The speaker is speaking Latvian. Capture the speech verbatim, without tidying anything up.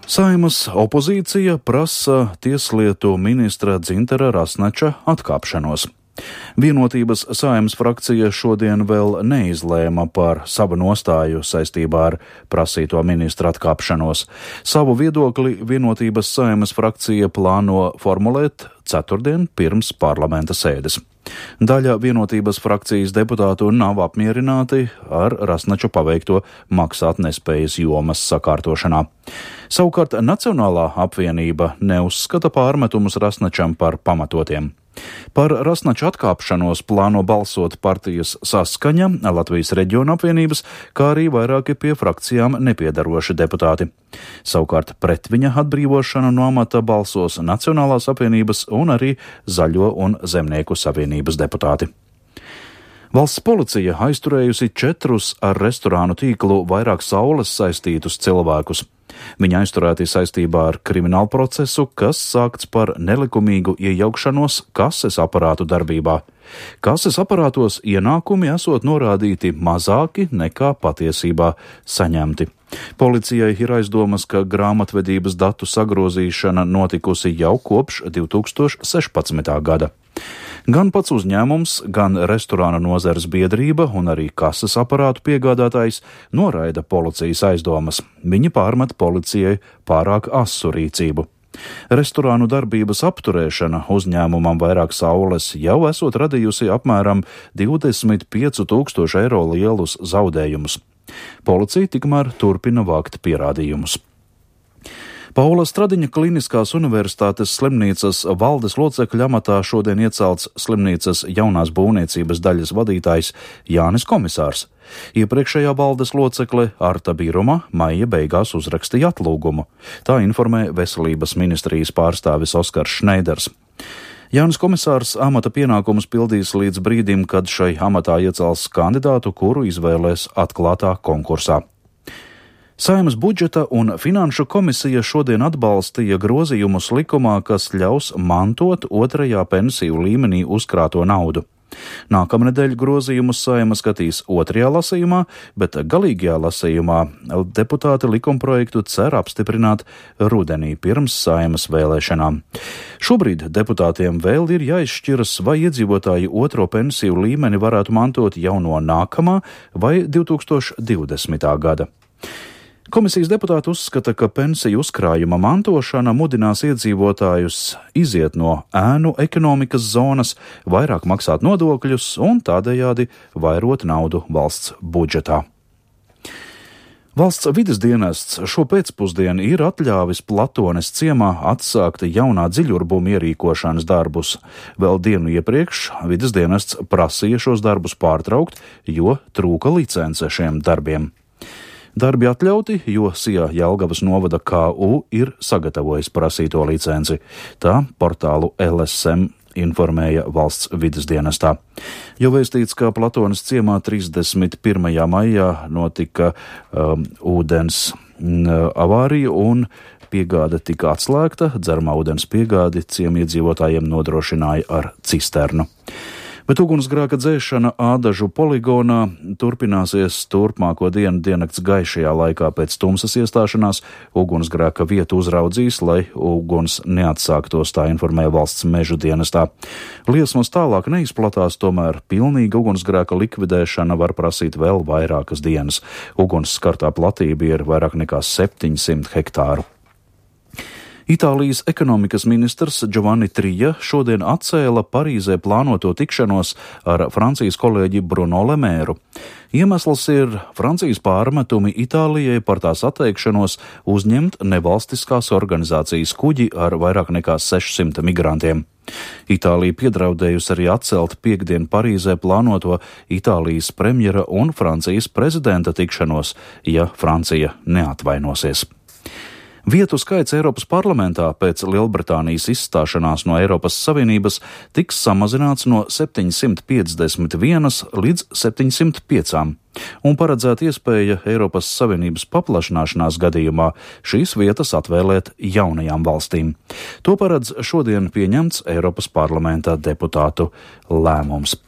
Saeimas opozīcija prasa tieslietu ministra Dzintara Rasnača atkāpšanos. Vienotības Saeimas frakcija šodien vēl neizlēma par savu nostāju saistībā ar prasīto ministra atkāpšanos. Savu viedokli Vienotības Saeimas frakcija plāno formulēt ceturtdien pirms parlamenta sēdes. Daļa Vienotības frakcijas deputātu nav apmierināti ar Rasnača paveikto maksātnespējas jomas sakārtošanā. Savukārt Nacionālā apvienība neuzskata pārmetumus Rasnačam par pamatotiem. Par Rasnača atkāpšanos plāno balsot partijas Saskaņa, Latvijas reģiona apvienības, kā arī vairāki pie frakcijām nepiedaroši deputāti. Savukārt pret viņa atbrīvošanu no amata balsos Nacionālās apvienības un arī Zaļo un Zemnieku savienības deputāti. Valsts policija aizturējusi četrus ar restorānu tīklu Vairāk Saules saistītus cilvēkus. Viņi aizturēti saistībā ar kriminālu procesu, kas sākts par nelikumīgu iejaukšanos kases aparātu darbībā. Kases aparātos ienākumi esot norādīti mazāki nekā patiesībā saņemti. Policijai ir aizdomas, ka grāmatvedības datu sagrozīšana notikusi jau kopš divi tūkstoši sešpadsmitā gada. Gan pats uzņēmums, gan restorāna nozares biedrība un arī kases aparātu piegādātājs noraida policijas aizdomas. Viņi pārmet policijai pārāk asu rīcību. Restorānu darbības apturēšana uzņēmumam Vairāk Saules jau esot radījusi apmēram divdesmit piecu tūkstošu eiro lielus zaudējumus. Policija tikmēr turpina vākt pierādījumus. Paula Stradiņa Kliniskās universitātes slimnīcas valdes locekļa amatā šodien iecelts slimnīcas jaunās būvniecības daļas vadītājs Jānis Komisārs. Iepriekšējā valdes locekle Arta Biruma maija beigās uzrakstīja atlūgumu. Tā informē Veselības ministrijas pārstāvis Oskars Šneiders. Jānis Komisārs amata pienākumus pildīs līdz brīdim, kad šai amatā iecels kandidātu, kuru izvēlēs atklātā konkursā. Saeimas budžeta un finanšu komisija šodien atbalstīja grozījumus likumā, kas ļaus mantot otrajā pensiju līmenī uzkrāto naudu. Nākamnedēļ grozījumus Saeima skatīs otrajā lasījumā, bet galīgajā lasījumā deputāti likumprojektu cer apstiprināt rudenī pirms Saeimas vēlēšanām. Šobrīd deputātiem vēl ir jāizšķiras, vai iedzīvotāji otro pensiju līmeni varētu mantot jau no nākamā vai divi tūkstoši divdesmitā gada. Komisijas deputāti uzskata, ka pensiju uzkrājuma mantošana mudinās iedzīvotājus iziet no ēnu ekonomikas zonas, vairāk maksāt nodokļus un tādējādi vairot naudu valsts budžetā. Valsts vides dienests šo pēcpusdienu ir atļāvis Platones ciemā atsākt jaunā dziļurbuma ierīkošanas darbus. Vēl dienu iepriekš vides dienests prasīja šos darbus pārtraukt, jo trūka licence šiem darbiem. Darbi atļauti, jo Sijā Jelgavas novada K U ir sagatavojis prasīto licenci. Tā portālu L S M informēja valsts vides dienestā. Jau vēstīts, ka Platones ciemā trīsdesmit pirmajā maijā notika um, ūdens um, avārija un piegāde tika atslēgta. Dzeramā ūdens piegādi ciemiedzīvotājiem nodrošināja ar cisternu. Bet ugunsgrēka dzēšana Ādažu poligonā turpināsies turpmāko dienu diennakts gaišajā laikā pēc tumsas iestāšanās. Ugunsgrēka vietu uzraudzīs, lai uguns neatsāktos, tā informēja valsts mežu dienestā. Liesmas tālāk neizplatās, tomēr pilnīga ugunsgrēka likvidēšana var prasīt vēl vairākas dienas. Uguns skartā platība ir vairāk nekā septiņsimt hektāru. Itālijas ekonomikas ministrs Giovanni Trija šodien atcēla Parīzē plānoto tikšanos ar Francijas kolēģi Bruno Le Mairu. Iemesls ir Francijas pārmetumi Itālijai par tās atteikšanos uzņemt nevalstiskās organizācijas kuģi ar vairāk nekā sešsimt migrantiem. Itālija piedraudējusi arī atcelt piekdien Parīzē plānoto Itālijas premjera un Francijas prezidenta tikšanos, ja Francija neatvainosies. Vietu skaits Eiropas parlamentā pēc Lielbritānijas izstāšanās no Eiropas Savienības tiks samazināts no septiņsimt piecdesmit vienas līdz septiņsimt piecām, un paredzēta iespēja Eiropas Savienības paplašināšanās gadījumā šīs vietas atvēlēt jaunajām valstīm. To paredz šodien pieņemts Eiropas parlamenta deputātu lēmums.